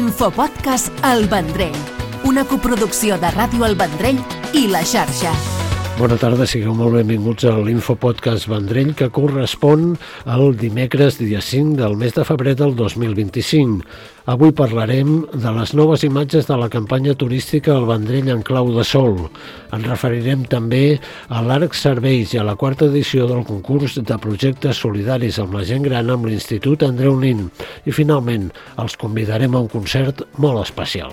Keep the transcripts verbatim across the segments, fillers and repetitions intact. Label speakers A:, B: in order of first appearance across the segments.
A: Infopodcast El Vendrell, una coproducció de Ràdio El Vendrell i La Xarxa.
B: Bona tarda, sigueu molt benvinguts a l'Infopodcast Vendrell, que correspon al dimecres dia cinc del mes de febrer del dos mil vint-i-cinc. Avui parlarem de les noves imatges de la campanya turística El Vendrell en clau de sol. Ens referirem també a l'Arc Serveis i a la quarta edició del concurs de projectes solidaris amb la gent gran amb l'Institut Andreu Nin. I finalment els convidarem a un concert molt especial.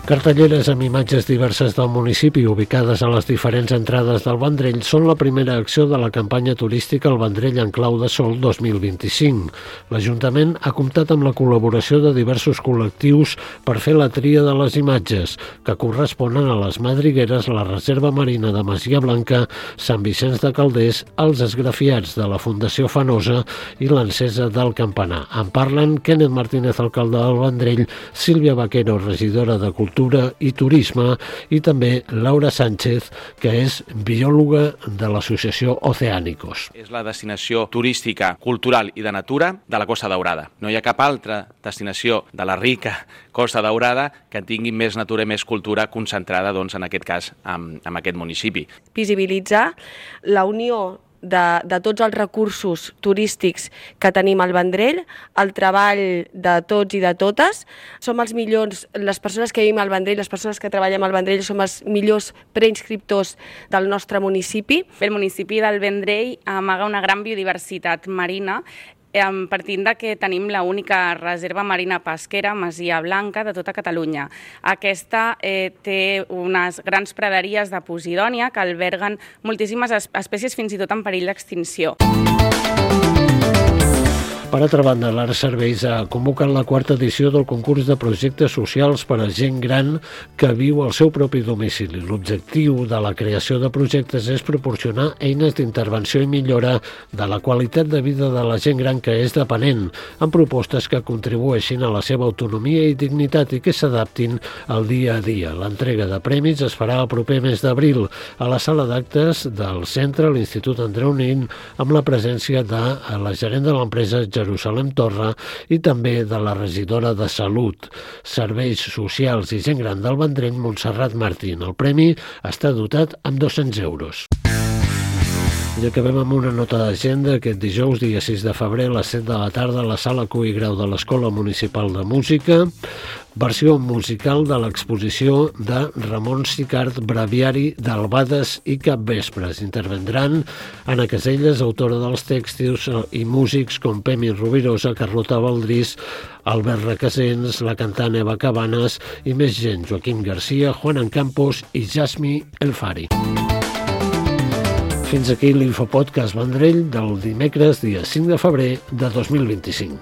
B: Cartelleres amb imatges diverses del municipi ubicades a les diferents entrades del Vendrell són la primera acció de la campanya turística El Vendrell en clau de sol dos mil vint-i-cinc. L'Ajuntament ha comptat amb la col·laboració de diversos col·lectius per fer la tria de les imatges, que corresponen a les madrigueres, la Reserva Marina de Masia Blanca, Sant Vicenç de Calders, els esgrafiats de la Fundació Fanosa i l'encesa del campanar. En parlen Kenneth Martínez, alcalde del Vendrell, Sílvia Vaquero, regidora de Cultura i Turisme, i també Laura Sánchez, que és biòloga de l'associació Oceánicos.
C: És la destinació turística, cultural i de natura de la Costa Daurada. No hi ha cap altra destinació de la rica Costa Daurada que tingui més natura i més cultura concentrada, doncs, en aquest cas, en, en aquest municipi.
D: Visibilitzar la unió De, de tots els recursos turístics que tenim al Vendrell, el treball de tots i de totes. Som els millors, les persones que vivim al Vendrell, les persones que treballem al Vendrell, som els millors preinscriptors del nostre municipi.
E: El municipi del Vendrell amaga una gran biodiversitat marina, partint de que tenim l'única reserva marina pesquera, Masia Blanca, de tota Catalunya. Aquesta eh, té unes grans praderies de posidònia que alberguen moltíssimes espècies, fins i tot en perill d'extinció.
B: Per altra banda, l'Arc Serveis ha convocat la quarta edició del concurs de projectes socials per a gent gran que viu al seu propi domicili. L'objectiu de la creació de projectes és proporcionar eines d'intervenció i millora de la qualitat de vida de la gent gran que és dependent, amb propostes que contribueixin a la seva autonomia i dignitat i que s'adaptin al dia a dia. L'entrega de premis es farà el proper mes d'abril a la sala d'actes del centre, l'Institut Andreu Nin, amb la presència de la gerent de l'empresa Jerusalem Torra i també de la regidora de Salut, Serveis Socials i Gent Gran del Vendrell, Montserrat Martín. El premi està dotat amb dos-cents euros. I acabem amb una nota d'agenda. Aquest dijous, dia sis de febrer, a les set de la tarda, a la sala Cui Grau de l'Escola Municipal de Música, versió musical de l'exposició de Ramon Sicart, Breviari d'Albades i Capvespres. Intervendran Anna Caselles, autora dels textos, i músics com Pemi Rovirosa, Carlota Valdrís, Albert Requesens, la cantant Eva Cabanes i més gent, Joaquim Garcia, Juan Campos i Jasmi Elfari. Fins aquí l'Infopodcast Vendrell del dimecres, dia cinc de febrer de dos mil vint-i-cinc.